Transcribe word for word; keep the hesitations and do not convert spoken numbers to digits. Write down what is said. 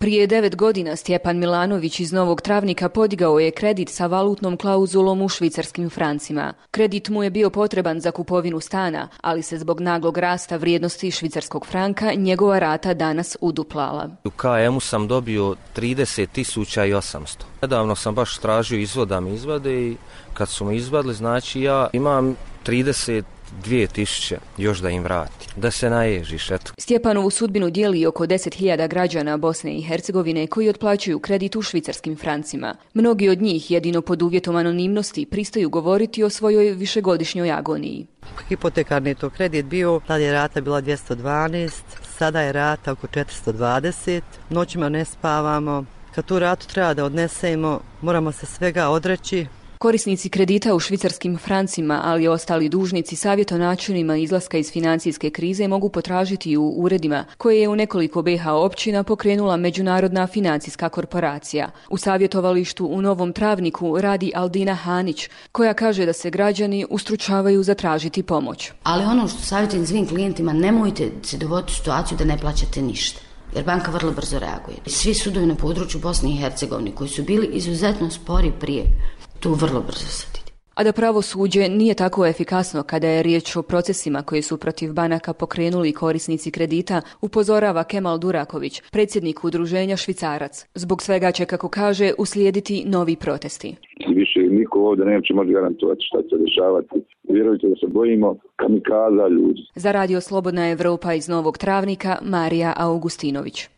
Prije devet godina Stjepan Milanović iz Novog Travnika podigao je kredit sa valutnom klauzulom u švicarskim francima. Kredit mu je bio potreban za kupovinu stana, ali se zbog naglog rasta vrijednosti švicarskog franka njegova rata danas uduplala. U K M-u sam dobio trideset tisuća osamsto. Nedavno sam baš tražio izvod da mi izvade i kad su mi izvadili, znači ja imam trideset dvije tisuće još da im vrati, da se naježiš, eto. Stjepanovu sudbinu dijeli oko deset hiljada građana Bosne i Hercegovine koji otplaćuju kredit u švicarskim francima. Mnogi od njih, jedino pod uvjetom anonimnosti, pristaju govoriti o svojoj višegodišnjoj agoniji. Hipotekarni je to kredit bio, tada je rata bila dvjesto dvanaest, sada je rata oko četiristo dvadeset, noćima ne spavamo. Kad tu ratu treba da odnesemo, moramo se svega odreći. Korisnici kredita u švicarskim francima, ali i ostali dužnici savjet o načinima izlaska iz financijske krize mogu potražiti u uredima koje je u nekoliko B iH općina pokrenula Međunarodna financijska korporacija. U savjetovalištu u Novom Travniku radi Aldina Hanić, koja kaže da se građani ustručavaju zatražiti pomoć. Ali ono što savjetujem svim klijentima, nemojte se dovoditi u situaciju da ne plaćate ništa, jer banka vrlo brzo reaguje. Svi sudovi na području Bosne i Hercegovine koji su bili izuzetno spori prije, tu vrlo brzo se vidi. A da pravosuđe nije tako efikasno kada je riječ o procesima koji su protiv banaka pokrenuli korisnici kredita, upozorava Kemal Duraković, predsjednik udruženja Švicarac. Zbog svega će, kako kaže, uslijediti novi protesti. Više niko ovdje neće moći garantovati šta će dešavati. Vjerujte da se bojimo kamikaza ljudi. Za Radio Slobodna Evropa iz Novog Travnika, Marija Augustinović.